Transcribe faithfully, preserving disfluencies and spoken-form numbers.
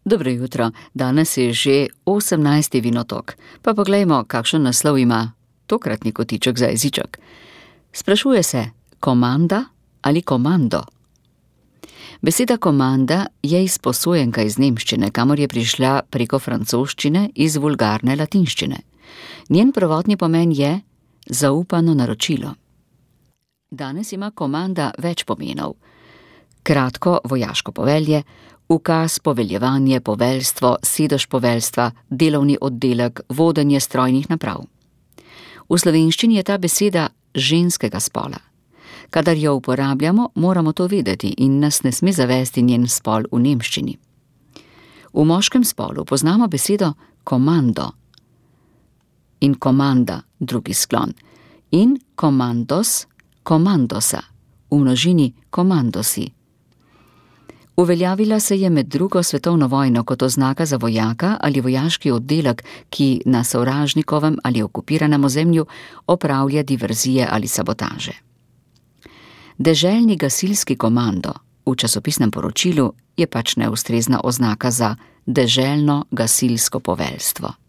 Dobro jutro, danes je že osemnajsti vinotok, pa poglejmo, kakšen naslov ima tokratni kotiček za jeziček. Sprašuje se, komanda ali komando? Beseda komanda je izposojenka iz nemščine, kamor je prišla preko francoščine iz vulgarne latinščine. Njen prvotni pomen je zaupano naročilo. Danes ima komanda več pomenov. Kratko vojaško povelje, ukaz, poveljevanje, poveljstvo, sedež poveljstva, delovni oddelek, vodenje strojnih naprav. V slovenščini je ta beseda ženskega spola. Kadar jo uporabljamo, moramo to vedeti in nas ne sme zavesti njen spol v nemščini. V moškem spolu poznamo besedo komando in komanda, drugi sklon, in komandos, komandosa, v množini komandosi. Uveljavila se je med drugo svetovno vojno kot oznaka za vojaka ali vojaški oddelek, ki na sovražnikovem ali okupiranem ozemlju opravlja diverzije ali sabotaže. Deželni gasilski komando v časopisnem poročilu je pač neustrezna oznaka za deželno gasilsko poveljstvo.